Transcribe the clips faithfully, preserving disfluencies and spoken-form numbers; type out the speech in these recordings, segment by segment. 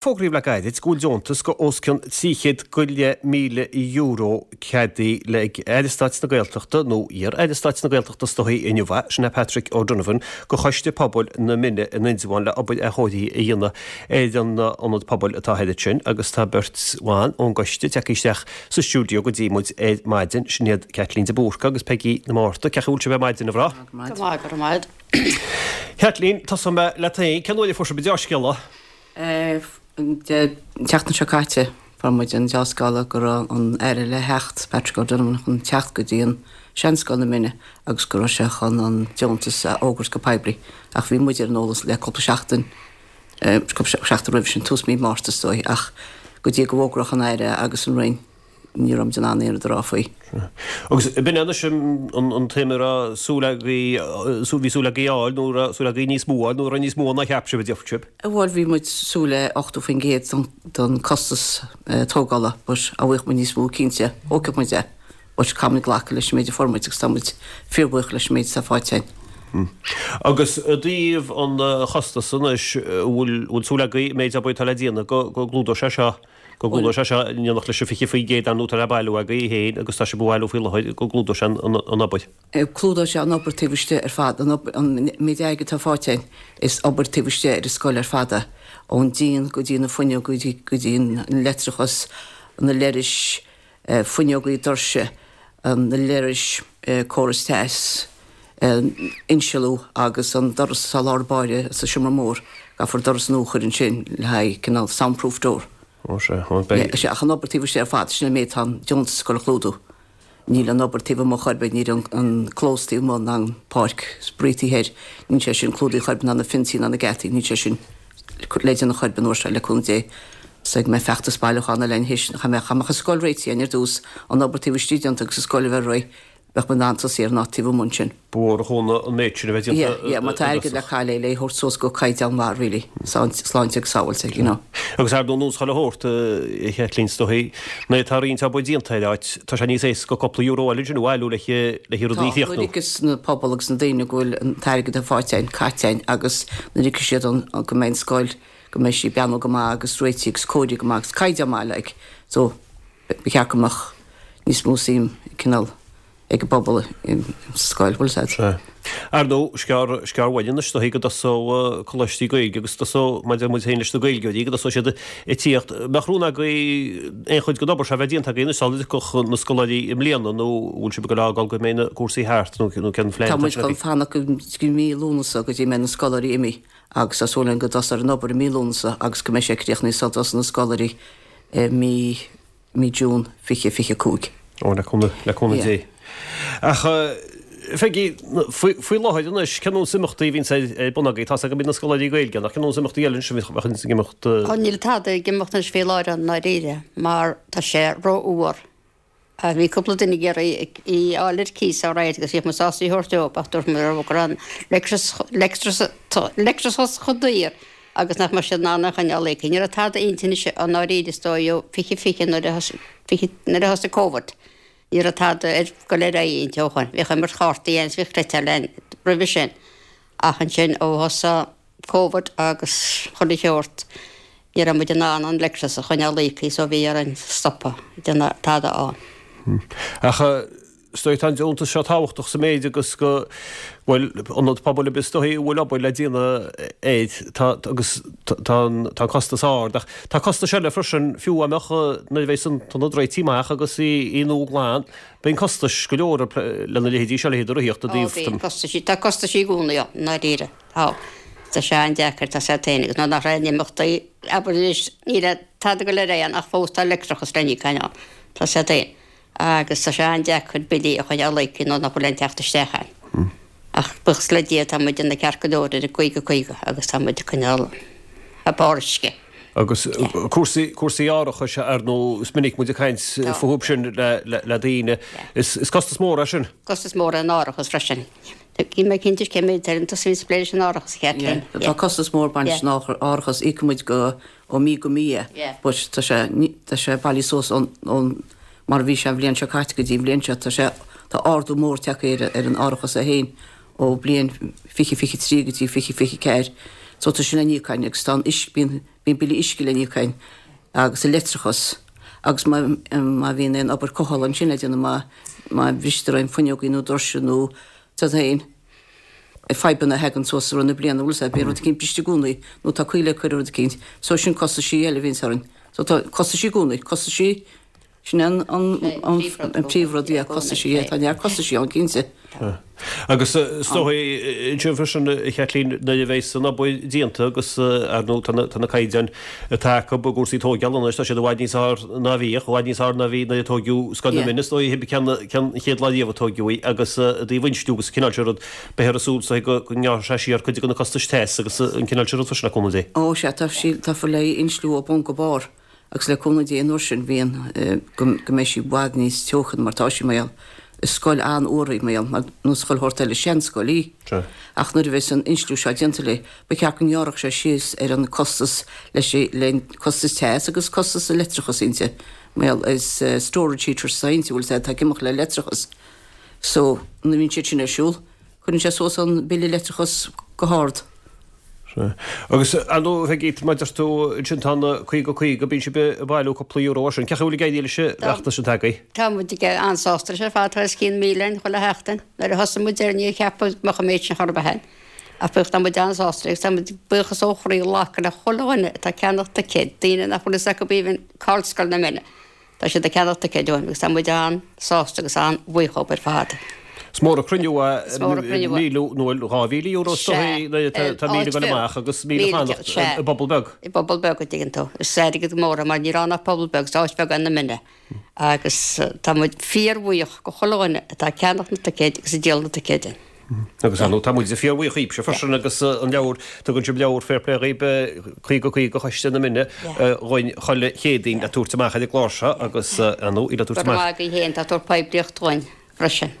Fógraíodh le gairid go bhfuil deontas go os cionn trí chéad go leith míle euro ceadaithe le Aire Stáit na Gaeltachta nó iar-Aire Stáit na Gaeltachta is dóichí inniu, sin é Patrick O'Donovan, go Choiste Pobail na Mine in Indreabhán le obair athchóirithe a dhéanamh ar an ionad pobail atá thoir ansin agus tá beirt bhan ón gcoiste tagtha isteach sa stiúideo go dtí muid ar maidin, sin iad Caitlín de Búrca agus Peigí na Márta. Cén chaoi a bhfuil sibh ar maidin, a mhná? Go maith, go raibh maith. Caitlín, tosóidh mé leat féin, cén uair a fuair sibh an dea-scéala? An tseachtain seo caite, fuair muid an dea-scéala go raibh an Aire le theacht, Patrick O'Donovan, chun teacht go dtí an Seanscoil na Mine agus go raibh sé chun an deontas a fhógairt go poiblí. Ach bhí muid ar an eolas le cúpla seachtain, cúpla seachtain roimhe sin, tús mí Márta is dóigh, ach go dtí go bhfógródh an Aire agus an Roinn, ní raibh muid in ann aon rud a rá faoi. Agus b'in é anois an tsuim a raibh súil agaibh, bhí súil agaibh a fháil nó raibh súil agaibh níos mó a fháil nó raibh níos mó ná cheap sibh a déarfadh sibh? Bhuel bhí muid súil le ochtó faoin gcéad don costas tógála but dá bhfaigheadh muid níos mó cinnte thógfadh muid é but caithfidh muid glacadh leis an méid a fuair muid agus tá muid fíorbhuíoch leis an méid atá faighte againn. Agus i dtaobh an chostais anois, bhfuil súil agaibh an méid obair atá le déanamh go gclúdóidh sé seo go gclúdóidh sé seo in éineacht leis an fiche faoin gcéad ar ndóigh atá le bailiú agaibh féin agus tá sibh a bhailiú faoi láthair, go gclúdóidh sé an obair. Clúdóidh sé an obair taobh istigh ar fad, an obair, an méid airgid atá faighte againn, is obair taobh istigh ar an scoil ar fad é, ón díon go dtí na fuinneoga, go dtí an leictreachas, na leithris, fuinneogaí doirse, na leithris, córas teas, insealú agus an doras atá i lár báire sa seomra mór, caithfear doras nua a chur ansin le haghaidh cineál soundproof door. Ó sea, ó beidh. Sea, ach an obair taobh istigh ar fad, sin an méid atá an deontas ag dul a chlúdú. Níl an obair taobh amuigh chor ar bith, níl an clós taobh amuigh ná an páirc spraoi taobh thoir, níl sé sin clúdaithe chor ar bith ná na fionsaí ná na geataí, níl sé sin le déanamh chor ar bith an uair seo, le cúnamh Dé. Is go mbeidh feachtas bailiúcháin eile anois, dá mbeadh an scoil réitithe againn ar dtús, an obair taobh istigh déanta agus an scoil a bheith réidh, bheadh muid in ann tosaí ar an áit taobh amuigh ansin. Ba mhór an chúnamh an méid sin a bheith déanta Yeah, yeah, má tá airgead le cailleadh le thabhairt suas go caighdeán maith really, sláinte agus sábháilte, you know. Agus ar ndóigh nós chuile shórt, a Chaitlín, is dóichí, nuair atá roinnt obair déanta ar áit, tá sé níos éasca cúpla euro eile ansin a bhailiú le le rudaí a Tá, chríochnú. nuair a fheicfeas na pobal agus na daoine go bhfuil an t-airgead atá faighte againn caite againn agus nuair a fheicfidh siad an go mbeidh an scoil, go mbeidh sí ag breathnú go maith agus réitithe agus cóirithe go maith agus caighdeán maith like, so ba cheart go mbeadh níos mó suim cineál ag an bpobal sa scoil, bhfuil a fhios agat. Sea. Ar ndóigh, sciar, sciar uainn anois, is dóichí go dtosóidh coláistí Gaeilge agus tosóidh, maidir muid féin leis na Gaeilgeoirí, go dtosóidh siad ag tíocht. Mbeadh rún agaibh aon chuid den obair seo a bheith déanta agaibh anois sula dtiocfadh na scoláirí i mbliana nó bhfuil sibh ag dul a fhágáil go mbeidh na cúrsaí thart nó nó cén phlean Tá atá muid chun agaibh? fanacht go dtí mí Lúnasa go dtí mbeidh na scoláirí imithe agus tá súil againn go dtosófar an obair i mí Lúnasa agus go mbeidh sé críochnaithe sula dtosóidh na scoláirí i mí mí June fiche fiche cúig. Ó, le cúnamh, le cúnamh Dé. Ach, Pheigí, faoi, faoi láthair anois, cén nós imeachtaí a bhíonns ar, ar bun agaibh? Tá's agam go mbíonn na scoláirí Gaeilge ann, ach cén nós imeachtaí eile anois a bhíonns ag imeacht? Ó, níl tada ag imeacht anois faoi láthair i ndáiríre, mar tá sé rófhuar. Bhí cúpla duine ag iarraidh í a fháil ar cíos alright agus bhíodh muid sásta í a thabhairt dóibh ach dúirt muid leo go raibh an leictreachas chomh daor agus nach mbeadh siad in ann é a choinneáil íoctha. Ní raibh tada inti anois i ndáiríre is dóigh ó fiche fiche nuair a nuair a thosaigh Covid. Ní raibh tada ag dul ar aghaidh inti ó shoin. Bhíodh imirt chártaí ann is bhíodh cleiteáil ann roimhe sin ach ansin ó thosaigh Covid agus chuile sheort ní raibh muid in ann an leictreachas a choinneáil íoctha so bhí orainn stopadh ag déanamh tada ann. Ach is dóigh tá an deontas seo tábhachtach sa méid agus go bhfuil ionad pobail ar bith is dóigh a bhfuil obair le déanamh air tá agus tá an tá an costas ard ach tá costais eile freisin fiú dá mbeadh nuair a bheidh an t-ionad réitithe amach agus í í nua glan bíonn costais go leor lena leithéidí seo leithéid rothaíochta Ó bíonn costaisí tá costaisí i gcónaí ann i ndáiríre. Tá. Tá sé an-deacair, tá sé féin agus nuair nach raibh aon imeachtaí, abair anois, ní raibh tada ag dul ar aghaidh ann ach fós tá leictreachas le n-íoc ann, tá sé féin. Agus tá sé an-deacair billí a choinneáil íoctha nuair nach bhfuil aon teacht isteach ann. Ach buíochas le Dia tá muid ag déanamh ceart go leor ar an gcaoga caoga agus tá muid ag coinneáil a barr uisce. Agus cúrsaí, cúrsaí árachais ar ndóigh, is minic muid ag caint fúthu sin le, le, le daoine. Is, is costas mór é sin. Costas mór é an árachas freisin. Níl mé cinnte cé mhéad ar an tusa a bhíonns ag plé leis an árachas, a Chaitlín. Tá costas mór ag baint leis an árachas, íocann muid go ó mí go mí é, but tá sé tá sé bailithe suas ón ón mar a bhí sé an bhliain seo caite go dtí an bhliain seo, tá sé tá ardú mór tagtha ar ar an árachas é féin ó bliain fiche fiche trí go dtí fiche fiche ceathair So tá sin le n-íoc againn agus tá an uisce, bíonn, bíonn billí uisce le n-íoc againn agus an leictreachas agus má, má bhíonn aon obair cothabhála ansin le déanamh má, má bhristear aon fuinneogaí nó doirse nó tá aon fadhbanna a thagann suas i rith na bliana, bhfuil a fhios agat, bíonn rud eicínt briste i gcónaí nó tá caoi le cur ar rud eicínt. So sin costaisí eile a bhíonns orainn. So tá costaisí i gcónaí, costaisí, sin an, an, an, an príomhrud, yeah, costaisí, yeah, tá neart costaisí ann cinnte. Agus is dóigh ansin freisin, a Chaitlín, nuair a bheas an obair déanta agus ar ndóigh tá na, tá na caighdeáin atá acu i gcúrsaí tóigeála anois, tá siad i bhfad níos fearr ná bhíodh, i bhfad níos fearr ná bhí nuair a tóigeadh Scoil na Mine, is dóigh, cén, cén chéad lá riamh a tóigeadh í agus i dtaobh insliú agus an cineál sin rud, beifear ag súil is dóigh go, go ngearrfaidh sé siar cuid de na costais teas agus an cineál sin rud freisin le cúnamh Dé. Ó sea, tá sí, tá fáil le insliú ó bun go barr. Agus le cúnamh Dé an uair sin bhíonn go mbeidh sí i bhfad níos teocha ná mar atá sí mar gheall. Is scoil an-fhuar í mar gheall, mar nós chuile shórt eile, seanscoil í. Ach nuair a bheas an insliú seo déanta léi, ba cheart go ngearrfadh sé síos ar an costas leis le costas teas agus costas leictreachas inti. Mar gheall is storage heaters atá inti, bhfuil a fhios agat, atá ag imeacht le leictreachas. So, nuair a bhíonn siad sin ar siúl, cuireann sé suas an bille leictreachas go hard. Sea. Agus, ar ndóigh, Pheigí, mar a deir tú, ansin tá na caoga caoga, bíonn sibh ag bailiú cúpla euro as sin. Cén chaoi a bhfuil ag éirí leis an bhfeachtas sin atá agaibh? Tá muid ag an-sásta leis ar fad, tá os cionn míle againn chuile sheachtain. Nuair a thosaigh muid air níor cheap muid go mbeadh an méid sin chor ar bith againn. Ach bíodh, tá muid an-sásta agus tá muid buíochas ó chroí ag glacadh le chuile dhuine atá ag ceannach ticéid, daoine nach bhfuil fhios acu even cá bhfuil Scoil na Mine. Tá siad ag ceannach ticéid uainn agus tá muid an-sásta agus an-bhuíoch dhóibh ar fad. Is mór an cruinniú é míle nó dhá mhíle euro is dóigh nuair atá míle ag dul amach agus míle ag fanacht i bpobal beag. I bpobal beag an dtuigeann tú. Is airgead mór é mar níl ann ach pobal beag, is áit bheag é na Mine. Agus tá muid fíorbhuíoch go chuile dhuine atá ag ceannach na ticéid agus ag díol na ticéid. Agus ar ndóigh tá muide fíorbhuíoch dhaoibhse freisin agus an leabhar, tugann sibh leabhar Fair Play dhaoib, caoga caoga Choiste na Mine dhuinn chuile Chéadaoin le tabhairt amach ar an gclár seo agus ar ndóigh í le tabhairt amach. Go raibh maith agaibh féin, tá tabhairt poiblíocht dhuinn freisin.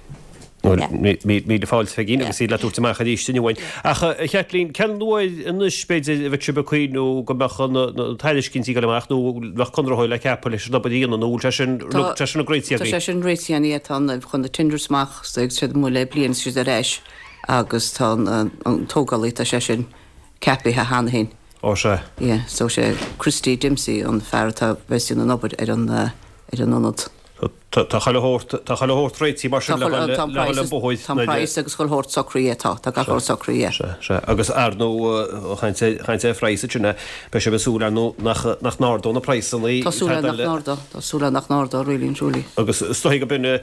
Míle fáilte Pheigín agus í le tabhairt amach arís inniu uainn. Ach a Chaitlín, cén uair anois b'fhéidir a bheadh sibh ag cuimhniú go mbeadh na tairiscintí ag dul amach nó bheadh conraitheoir le ceapadh leis an obair a dhéanamh nó bhfuil sé sin tá sé sin réitithe agaibh? Tá sé sin réitithe againn, yeah, tá an chun na tenders amach so ag siad amuigh le bliain is siad ar ais agus tá an an tógálaí tá sé sin ceapaithe cheana féin. Ó sea. Yeah, so sé Christy Dempsey an fear atá bheas ag déanamh an obair ar an ar an ionad. Tá chuile shórt, tá chuile shórt réitithe mar sin le dhul le bóthar. Tá an praghas agus chuile shórt socraithe, tá, tá gach shórt socraithe, yeah. Sea, sea. Agus ar ndóigh, chaint ar an phraghas ansin, beidh sibh ag súil ar ndóigh nach, nach n-ardóidh na praghsanna. Tá súil againn nach n-ardóidh, tá súil againn nach n-ardóidh, really and truly. Agus is dóigh go b'in,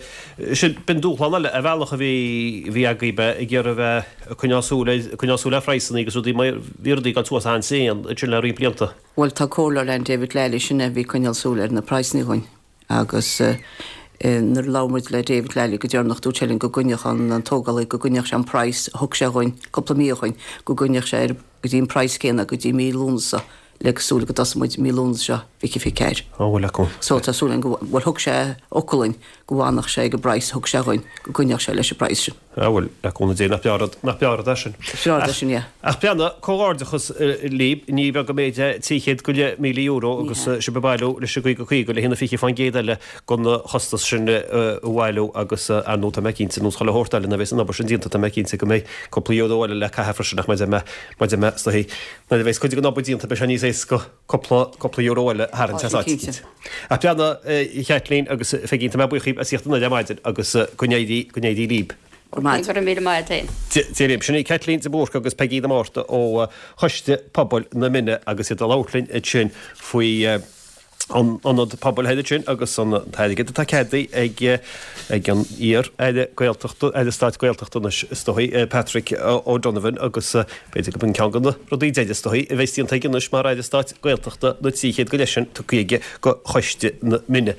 sin, b'in dúshlán eile ar bhealach a bhí, a bhí agaibh, ag iarraidh a bheith ag coinneáil súil ar, ag coinneáil súil ar phraghsanna agus rudaí mar, bhí rudaí ag dul suas an-tréan ansin le roinnt blianta. Bhuel, tá comhairleoir againn, David Lally, sin é a bhí ag coinneáil súil ar na praghsanna dhúinn. Agus nuair a labhair muid le David Lally go deireanach dúirt sé linn go gcoinneodh an tógálaí, go gcoinneodh sé an praghas a thug sé dhúinn cúpla mí ó shoin, go gcoinneodh sé ar go dtí an praghas céanna go dtí mí Lúnasa le súil go dtosóidh muid mí Lúnasa seo fiche fiche ceathair. Á bhuel acu. So tá súil againn go, bhuel thug sé fhocal dhúinn go bhfanfadh sé ag an bpraghas a thug sé dhúinn, go gcoinneodh sé leis an bpraghas sin. Á bhuel, le cúnamh Dé, nach breá rud, nach breá rud é sin. Is breá rud é sin, yeah. Ach breathnaigh, comhghairdeachas libh, ní beag an méid é trí chéad go leith míle euro agus sibh ag bailiú leis an gcaoga caoga le haghaidh na fiche faoin gcéad eile den chostas sin a bhailiú agus ar ndóigh tá mé cinnte, nós chuile shórt eile nuair a bheas an obair sin déanta tá mé cinnte go mbeidh cúpla euro eile le caitheamh freisin ach maidir mé, maidir mé, is dóigh, nuair a bheas cuid den obair déanta beidh sé níos éasca cúpla, cúpla euro eile a tharraingt as áit eicínt. Ach breathnaigh, a Chaitlín agus a Pheigín, tá mé buíoch dhíbh as theacht anoir ar maidin agus go n-éirí, go n-éirí libh. Go raibh míle maith agat féin. Dia libh. Sin í Caitlín de Búrca agus Peigí de Márta ó Choiste Pobail na Mine agus iad ag labhairt linn ansin faoi an ionad pobail thoir ansin agus an t-airgead atá ceadaithe ag ag an iar-Aire Gaeltachta, Aire Stáit Gaeltachta anois is dóigh, Patrick O'Donovan agus b'fhéidir gurb in ceann de na rudaí deiridh is dóigh a bheas déanta aige anois mar Aire Stáit Gaeltachta na trí chéad go leith sin tugtha aige go Choiste na Mine.